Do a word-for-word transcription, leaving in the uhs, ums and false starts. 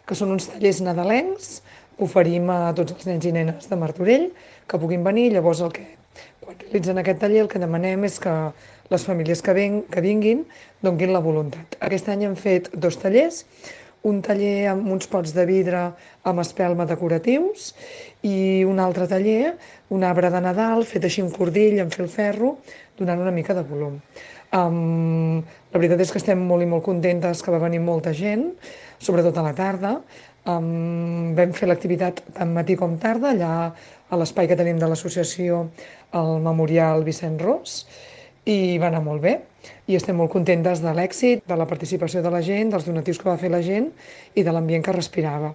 que són uns tallers nadalencs que oferim a tots els nens i nenes de Martorell que puguin venir. Llavors, el que, quan realitzen aquest taller, el que demanem és que les famílies que, ven, que vinguin donguin la voluntat. Aquest any hem fet dos tallers, un taller amb uns pots de vidre amb espelma decoratius i un altre taller, un arbre de Nadal fet així amb cordill, amb filferro, donant una mica de volum. Um, la veritat és que estem molt i molt contentes que va venir molta gent, sobretot a la tarda. Um, vam fer l'activitat tant matí com tarda, allà a l'espai que tenim de l'associació, el Memorial Vicent Ros, i va anar molt bé. I estem molt contentes de l'èxit, de la participació de la gent, dels donatius que va fer la gent i de l'ambient que respirava.